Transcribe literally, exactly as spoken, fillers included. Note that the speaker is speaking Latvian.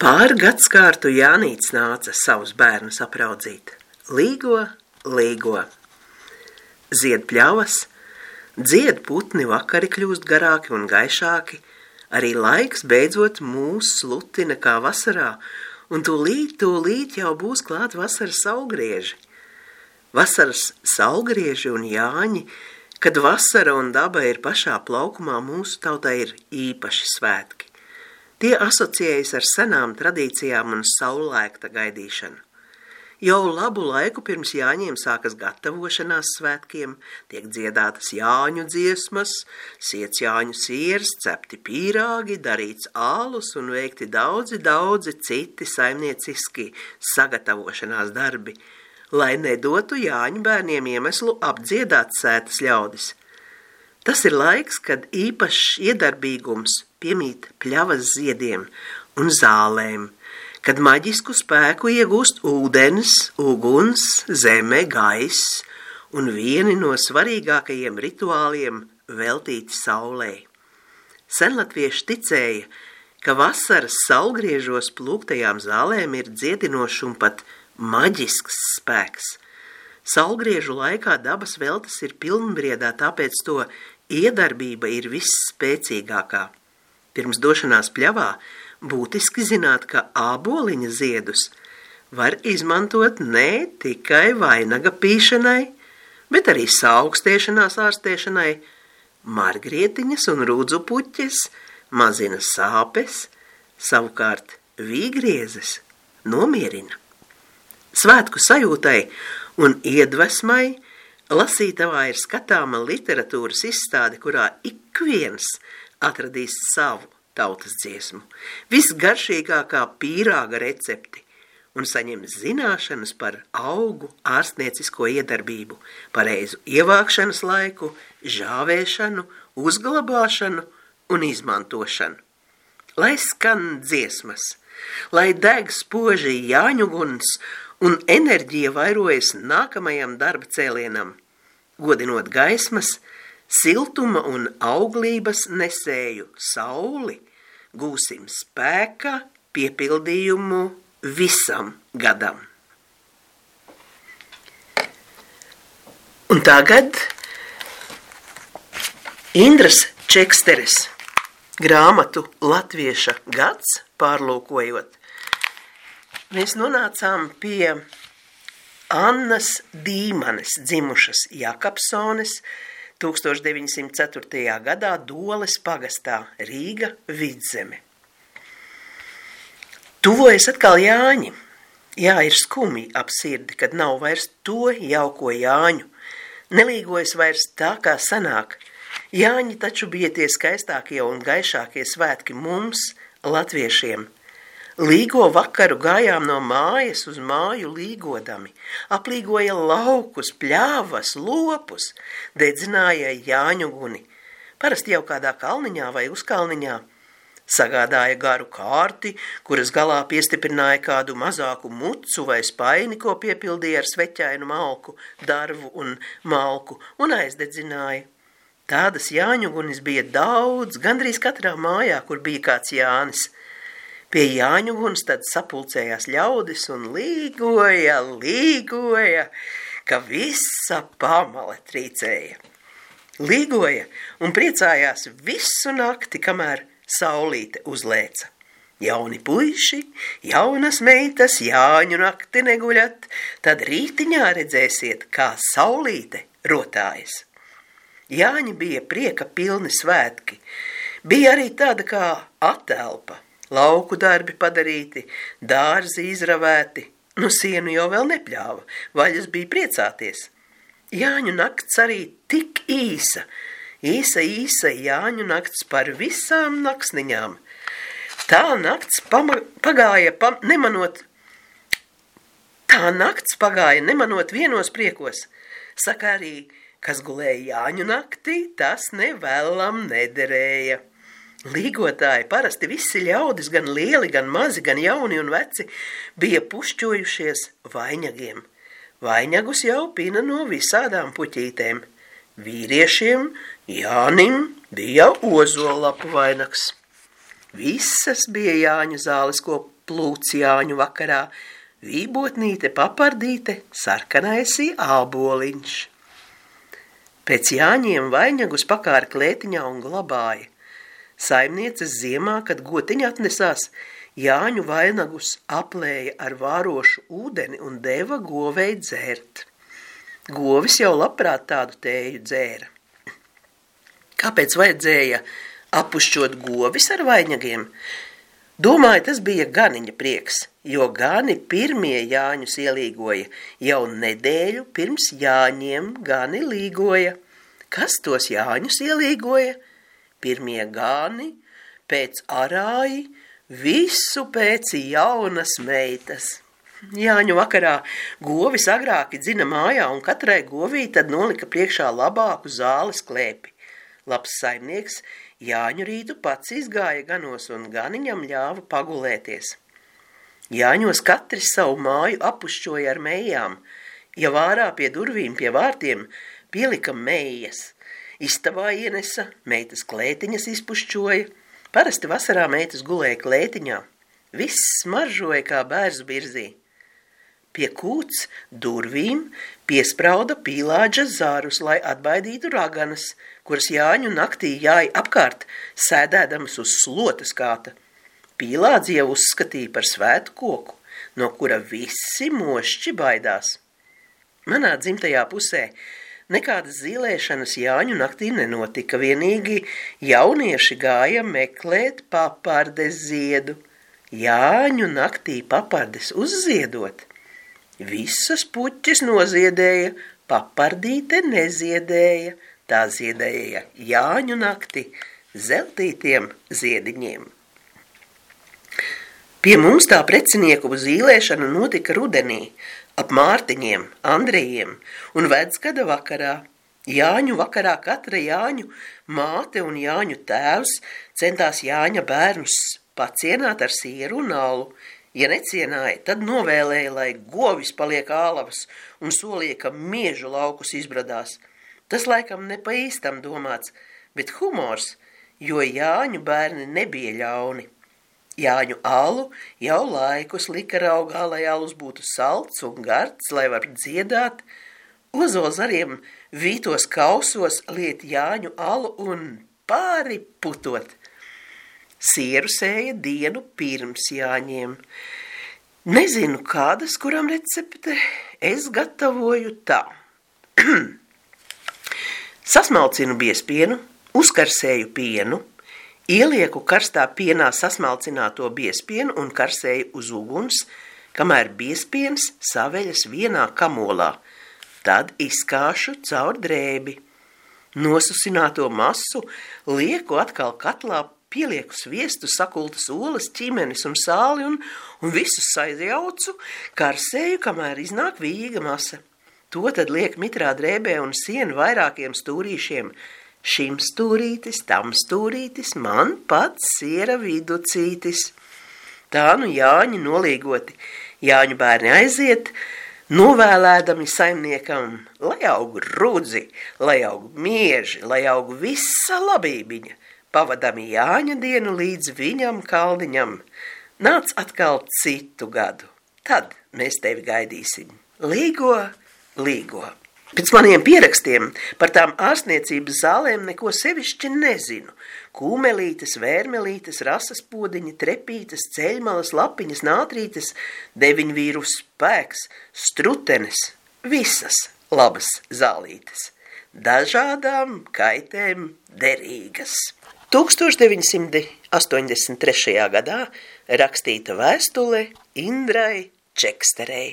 Pāri gadskārtu Jānīts nāca savus bērnus apraudzīt. Līgo, līgo. Zied pļavas, dzied putni, vakari kļūst garāki un gaišāki, arī laiks beidzot mūs slutina kā vasarā, un tūlīt, tūlīt jau būs klāt vasaras saulgrieži. Vasaras saulgrieži un Jāņi, kad vasara un daba ir pašā plaukumā, mūsu tautai ir īpaši svētki. Tie asociējas ar senām tradīcijām un saulēkta gaidīšanu. Jau labu laiku pirms Jāņiem sākas gatavošanās svētkiem, tiek dziedātas Jāņu dziesmas, siets Jāņu sieras, cepti pīrāgi, darīts ālus un veikti daudzi, daudzi citi saimnieciski sagatavošanās darbi, lai nedotu Jāņu bērniem iemeslu apdziedāt sētas ļaudis. Tas ir laiks, kad īpašs iedarbīgums piemīt pļavas ziediem un zālēm, kad maģisku spēku iegūst ūdens, uguns, zeme, gaiss un vieni no svarīgākajiem rituāliem veltīti saulei. Senlatvieši ticēja, ka vasaras saulgriežos plūktajām zālēm ir dziedinošs un pat maģisks spēks. Saulgriežu laikā dabas veltes ir pilnbriedā, tāpēc to iedarbība ir visspēcīgākā. Pirms došanās pļavā būtiski zināt, ka āboliņa ziedus var izmantot ne tikai vainaga pīšanai, bet arī saaugstēšanās ārstēšanai. Margrietiņas un rudzu puķes mazina sāpes, savukārt vīgriezes nomierina. Svētku sajūtai un iedvesmai lasītavā ir skatāma literatūras izstāde, kurā ik viens atradīs savu tautas dziesmu, visgaršīgākā pīrāga recepti un saņems zināšanas par augu ārstniecisko iedarbību, pareizu ievākšanas laiku, žāvēšanu, uzglabāšanu un izmantošanu. Lai skan dziesmas, lai deg spoži Jāņuguns un enerģija vairojas nākamajam darba cēlienam, godinot gaismas, siltuma un auglības nesēju sauli, gūsim spēka piepildījumu visam gadam. Un tagad Indras Čeksteres grāmatu Latvieša gads pārlūkojot, mēs nonācām pie Annas Dīmanes, dzimušas Jakabsones, tūkstoš deviņsimt ceturtajā gadā Doles pagastā, Rīga, Vidzeme. Tuvojas atkal Jāņi. Jā, ir skumji ap sirdi, kad nav vairs to jauko Jāņu. Nelīgojas vairs tā, kā sanāk. Jāņi taču bija tie skaistākie un gaišākie svētki mums, latviešiem. Līgo vakaru gājām no mājas uz māju līgodami, aplīgoja laukus, pļāvas, lopus, dedzināja Jāņu guni, parasti jau kādā kalniņā vai uzkalniņā, sagādāja garu kārti, kuras galā piestiprināja kādu mazāku mucu vai spaini, ko piepildīja ar sveķainu malku, darvu un malku, un aizdedzināja. Tādas Jāņu gunis bija daudz, gandrīz katrā mājā, kur bija kāds Jānis. Pie Jāņu guns tad sapulcējās ļaudis un līgoja, līgoja, ka visa pamale trīcēja. Līgoja un priecājās visu nakti, kamēr saulīte uzlēca. Jauni puiši, jaunas meitas, Jāņu nakti neguļat, tad rītiņā redzēsiet, kā saulīte rotājas. Jāņi bija prieka pilni svētki, bija arī tāda kā atelpa. Lauku darbi padarīti, dārzi izravēti, nu sienu jau vēl nepļāva, vaļas bija priecāties. Jāņu nakts arī tik īsa, īsa, īsa Jāņu nakts par visām naksniņām. Tā nakts pama, pagāja pam, nemanot, tā nakts pagāja nemanot vienos priekos. Saka arī, kas gulēja Jāņu naktī, tas nevēlam nederēja. Līgotāji, parasti visi ļaudis, gan lieli, gan mazi, gan jauni un veci, bija pušķojušies vainagiem. Vainagus jau pina no visādām puķītēm. Vīriešiem Jānim bija ozolapu vainags. Visas bija Jāņu zāles, ko plūc Jāņu vakarā, vībotnīte, papardīte, sarkanaisī āboliņš. Pēc Jāņiem vainagus pakāra klētiņā un glabāja. Saimnieces ziemā, kad gotiņa atnesās, Jāņu vainagus aplēja ar vārošu ūdeni un deva govei dzērt. Govis jau labprāt tādu tēju dzēra. Kāpēc vajadzēja apušķot govis ar vainagiem? Domāju, tas bija ganiņa prieks, jo gani pirmie Jāņus ielīgoja, jau nedēļu pirms Jāņiem gani līgoja. Kas tos Jāņus ielīgoja? Pirmie gani, pēc arāji, visu pēc jaunas meitas. Jāņu vakarā govis agrāki dzina mājā un katrai govī tad nolika priekšā labāku zāles klēpi. Labs saimnieks Jāņu rītu pats izgāja ganos un ganiņam ļāva pagulēties. Jāņos katrs savu māju apušķoja ar mejām, ja vārā pie durvīm pie vārtiem pielika mejas. Istabā ienesa, meitas klētiņas izpušķoja, parasti vasarā meitas gulēja klētiņā. Viss smaržoja kā bērzu birzī. Pie kūts durvīm piesprauda pīlādža zarus, lai atbaidītu raganas, kuras Jāņu naktī jāja apkārt, sēdēdamas uz slotas kāta. Pīlādzi jau uzskatīja par svētu koku, no kura visi mošķi baidās. Manā dzimtajā pusē nekādas zīlēšanas Jāņu naktī nenotika, vienīgi jaunieši gāja meklēt papardes ziedu. Jāņu naktī papardes uzziedot. Visas puķis noziedēja, papardīte neziedēja, tā ziedēja Jāņu nakti zeltītiem ziediņiem. Pie mums tā precinieku zīlēšana notika rudenī, ap Mārtiņiem, Andrejiem un Vecgada vakarā. Jāņu vakarā katra Jāņu māte un Jāņu tēvs centās Jāņa bērnus pacienāt ar sieru un alu. Ja necienāja, tad novēlēja, lai govis paliek ālavas un solīja, ka miežu laukus izbradās. Tas laikam ne pa īstam domāts, bet humors, jo Jāņu bērni nebija ļauni. Jāņu alu jau laikus lika raugā, lai alus būtu salds un gards, lai var dziedāt. Ozolzariem vītos kausos liet Jāņu alu un pāri putot. Sieru sēja dienu pirms Jāņiem. Nezinu, kādas, kuram recepte, es gatavoju tā. Sasmalcinu biespienu, uzkarsēju pienu, ielieku karstā pienā sasmalcināto biespienu un karsēju uz uguns, kamēr biespiens saveļas vienā kamolā. Tad izkāšu caur drēbi. Nosusināto masu lieku atkal katlā, pielieku sviestu, sakultas olas, ķimenes un sāli un, un visu saizjaucu, karsēju, kamēr iznāk vīga masa. To tad liek mitrā drēbē un sienu vairākiem stūrīšiem. Šim stūrītis, tam stūrītis, man pats siera viducītis. Tā nu Jāņi nolīgoti. Jāņu bērni aiziet, novēlēdami saimniekam, lai aug rudzi, lai aug mieži, lai aug visa labībiņa. Pavadami Jāņa dienu līdz viņam kalniņam. Nāc atkal citu gadu. Tad mēs tevi gaidīsim. Līgo, līgo. Pēc maniem pierakstiem par tām ārstniecības zālēm neko sevišķi nezinu. Kūmelītes, vērmelītes, rasas podiņi, trepītes, ceļmalas, lapiņas, nātrītes, deviņvīru spēks, strutenes, visas labas zālītes. Dažādām kaitēm derīgas. tūkstoš deviņi simti astoņdesmit trešajā gadā rakstīta vēstule Indrai Čeksterei.